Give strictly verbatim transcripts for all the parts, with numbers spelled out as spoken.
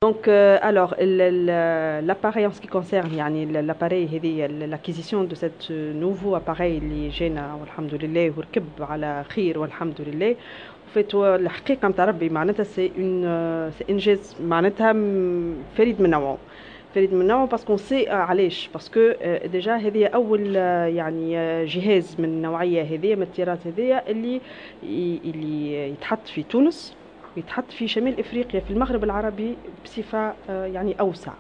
Donc, euh, alors, l'appareil en ce qui concerne يعني l'appareil هذه، l'acquisition de cet nouveau appareil اللي جانا والحمد لله وركب على خير والحمد لله. فات الحقيقة نتاع ربي معناتها c'est une c'est انجاز معناتها فريد من نوعه، فريد من نوعه parce qu'on sait علاش، parce que déjà هذه اول يعني جهاز من النوعية هذه، من الطراز هذه، اللي اللي يتحط في تونس، يتحط في شمال افريقيا، في المغرب العربي بصفة يعني اوسع.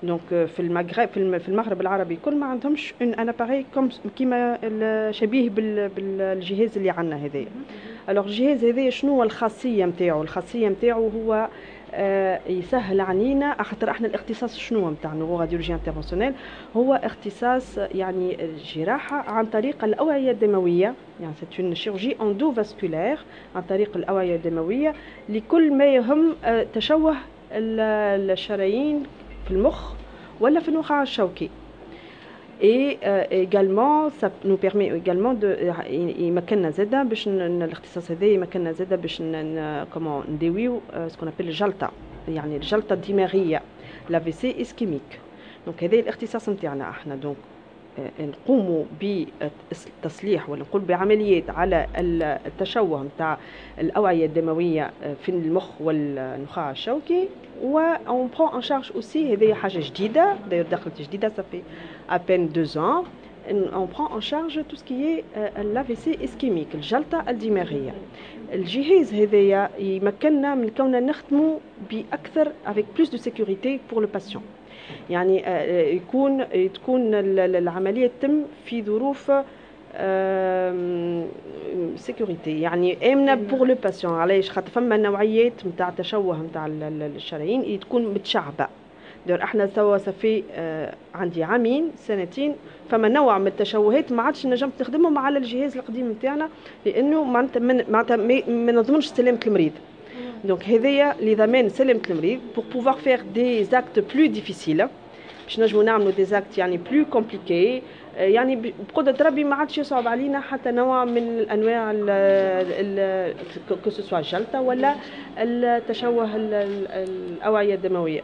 donc في المغرب في المغرب العربي كل ما عندهمش un un appareil comme كيما شبيه بالجهاز اللي عندنا هذايا. alors الجهاز هذايا شنو هو الخاصية نتاعو؟ الخاصية نتاعو هو آه، يسهل علينا، خاطر احنا الاختصاص شنو نتاع neuroradiologie interventionnelle؟ هو اختصاص يعني الجراحة عن طريق الاوعية الدمويه، يعني c'est une chirurgie endovasculaire عن طريق الاوعية الدموية لكل ما يهم آه، تشوه الشرايين في المخ ولا في النخاع الشوكي. et euh, également ça nous permet également de يمكننا زاده باش الاختصاص هذا يمكننا زاده باش comment نداويو ce qu'on appelle الجلطه، يعني الجلطة الدماغيه، l'AVC ischémique. donc هذا الاختصاص نتاعنا احنا. donc نقوموا بتصليح ولا نقول بعمليات على التشوه نتاع الاوعية الدموية في المخ والنخاع الشوكي، و on prend en charge aussi، هذه حاجة جديده، d'ailleurs دخلت جديده، ça fait à peine deux ans، on prend en charge tout ce qui est l'AVC ischémique، الجلطة الدماغية. الجهاز هذايا يمكننا من كوننا نخدموا بأكثر avec plus de sécurité pour le patient، يعني يكون تكون العملية تتم في ظروف sécurité، يعني امنه pour le patient. علاش؟ خاطر فما نوعيات نتاع تشوه نتاع الشرايين تكون متشعبه. d'ailleurs احنا توا ça fait آه عندي عامين سنتين فما نوع من التشوهات ما عادش نجمت نخدمهم على الجهاز القديم نتاعنا، لانه معناتها معناتها ما نضمنش سلامه المريض. donc هذايا لضمان سلامه المريض، pour pouvoir faire des actes plus difficiles، باش نجمو نعملوا des actes يعني plus compliqués، يعني بقدرة ربي ما عادش يصعب علينا حتى نوع من الانواع، que ce soit الجلطة ولا التشوه الاوعية الدمويه.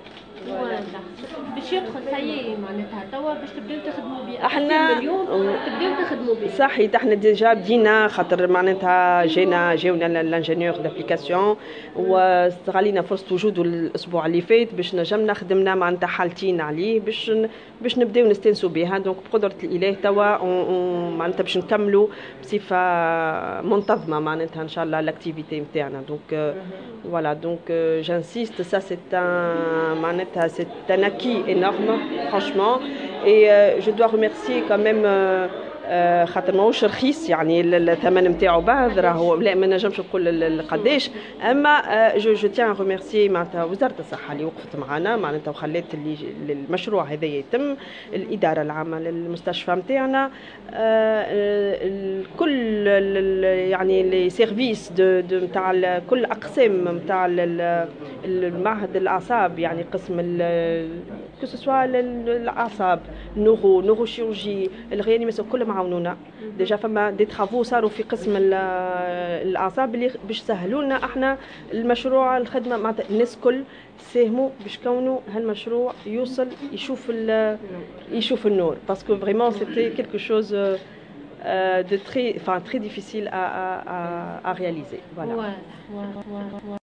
باش يدخل ça y est معناتها توا باش تبداو تخدموا به؟ احنا اليوم تبداو تخدموا به؟ صحيح، احنا déjà بدينا، خاطر معناتها جينا جاونا l'ingénieur d'application واستغلينا فرصة وجوده الاسبوع اللي فات باش نجمنا خدمنا معناتها حالتين عليه باش باش نبداو نستانسوا بها. donc بقدره الاله توا معناتها باش نكملوا بصفة منتظمة معناتها ان شاء الله l'activité نتاعنا. donc voilà، donc j'insiste، ça c'est un معناتها c'est un acquis énorme franchement et euh, je dois remercier quand même euh, خاطر ماهوش رخيص، يعني الثمن نتاعو باهظ راهو، لا ما نجمش نقول قداش، اما je je tiens à remercier معناتها وزارة الصحة اللي وقفت معنا معناتها وخلات اللي المشروع هذا يتم، الادارة العامة للمستشفى نتاعنا، كل يعني les services de نتاع كل اقسام نتاع المعهد الاعصاب، يعني قسم que ce soit الاعصاب، neuro، neurochirurgie، ال réanimation، كلهم عاونونا. déjà فما des travaux صاروا في قسم الاعصاب اللي باش سهلوا لنا احنا المشروع، الخدمه. معناتها الناس كل ساهموا باش كونوا هالمشروع يوصل يشوف يشوف النور، parce que vraiment c'était quelque chose de très, enfin, très difficile à, à, à, à réaliser. Voilà. Voilà.